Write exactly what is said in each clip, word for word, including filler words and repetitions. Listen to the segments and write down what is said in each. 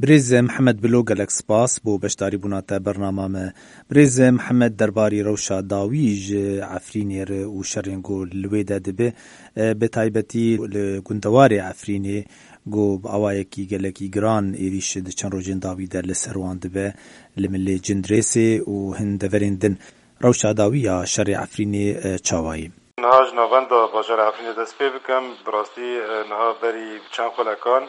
Birêz Mihemed Bilo, gelek spas bo beşdarîbûna te bernama me. Birêz Mihemed, derbarî rewşa dawî ji Efrînê re û şerên ku li wê de dibe, e, bi taybetî li gundewarê Efrînê, ku bi awayekî gelekî giran êrîş di çend rojên dawî de li ser wan dibe, li Milê Cindirêsê û hin deverên din. Rewşa dawî ya şerê Efrînê, e, çawa ye? Niha ji navenda bajarê Efrînê dest pê bikim. Bi rastî, e, niha berî çend xulekan,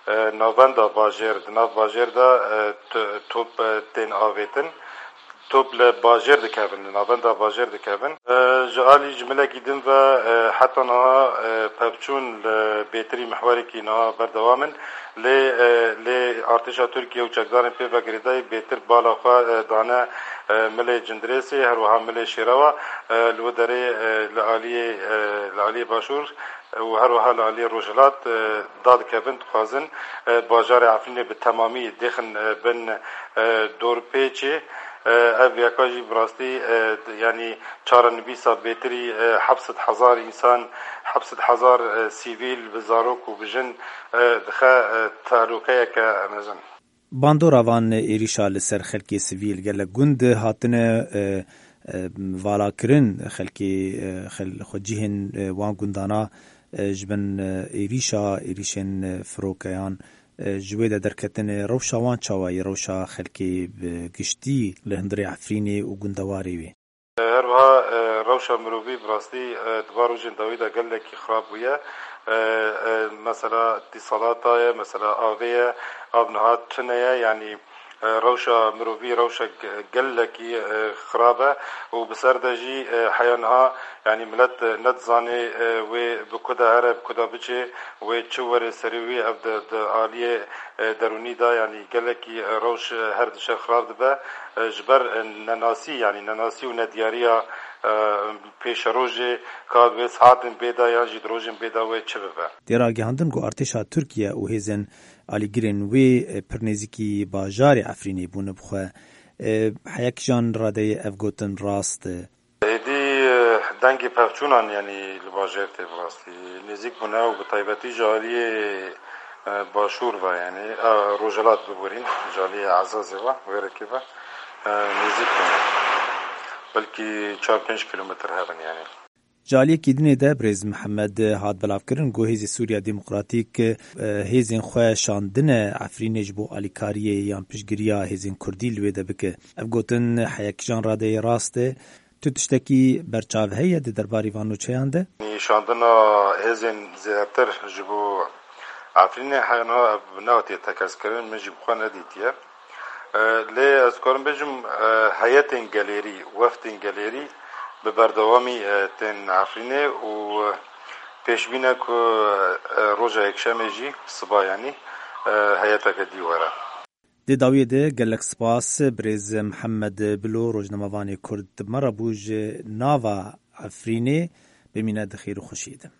e, navenda bajêr, di nav bajêr de, e, t-, top, e, tên avêtin. Top li bajêr dikevin, li navenda bajêr dikevin. E, ji alî ji milekî din ve, e, heta niha, e, pevçûn li bêtirî mihwerekî niha berdewam in. Lê, e, lê artêşa Tirkiye û çekdarên pê ve girêdayî bêtir bala xwe, e, dane, e, milê Cindirêsê, her wiha milê Şêrewa, e, li wê derê, e, li aliyê, e, li aliyê Başûr, e, û her wiha li aliyê Rojhilat, e, dadikevin, dixwazin, e, bajarê Efrînê bi temamî dêxin, e, bin, e, dorpêçê. E, ev yeka jî bi rastî, e, d-, yanî çarenivîsa bêtirî, e, heft sed hezar însan, heft sed hezar, e, sivîl bi zarok û bi jin, e, dixe, e, tehlûkeyeke mezin. Bandora van êrîşa li ser xelkê sivîl, gelek gund hatine, e, e, valakirin, xelkê, e, xel-, xwecihên, e, wan gundana, e, ji bin, e, êrîşa, êrîşên, e, firokeyan, e, ji wê de derketine, rewşa wan çawa ye, rewşa xelkê bi giştî li hundirê Efrînê û gundewarê wê? Her wiha, e, rewşa mirovî bi rastî, e, di van rojên dawî de gelekî xirab bûye. E, e, mesela îtîsalata ye, mesela avê ye, av niha tune ye, yanî, e, rewşa mirovî rewşek gelekî, e, xirab e û bi ser de jî, e, heya niha, yanî milet, e, nedizane, e, wê bi ku de here, bi ku de biçe, wê çi were serê wî, ev di, di aliyê, e, derûnî de, yanî gelekî, e, rewş, e, her dişe xirab dibe. E, ji ber, e, nenasî, yanî nenasî û nediyariya, e, pêşerojê ka wê saetên bê de yan jî di rojên bê de wê çi bibe. Tê ragihandin ku artêşa Tirkiye û hêzên alîgirên wê, e, pir nêzîkî bajarê Efrînê bûne bi xwe. E, heya kîjan radeyê ev gotin rast e? Êdî, e, dengê pevçûnan, yanî li bajêr tê bi rastî nêzîk bûne û bi taybetî ji aliyê, e, başûr ve, yanî, e, rojhilat biborîn, ji aliyê Ezazê ve, wêrekê ve, e, nêzîk bûne. Belkî çar pênc kîlometr hebin, yanî. Ji aliyekî dinê de Birêz Mihemed hat belavkirin ku Hêzê Sûriya Demokratîk, e, hêzên xwe şandine Efrînê ji bo alîkariyê yan piştgiriya hêzên Kurdî li wê de bike. Ev gotin heya kîjan radeyê rast e? Tu tiştekî berçav heye di derbarî van nûçeyan de? Nîşandina hêzên zêdetir ji bo Efrînê heyana ev nehatiye tekezkirin, min jî bi xwe nedîtiye. E, lê ez karim bêjim, e, heyetên gelêrî, weftên gelêrî bi berdewamî, e, tên Efrînê û pêşbîn e ku, e, roja Yekşemê jî siba, yanî, e, heyeteke dî were. Di dawiyê de gelek spas Birêz Mihemed Bilo, rojnamevanê Kurd, me re bû ji nava Efrînê. Bimîne di xêr û xweşiyê de.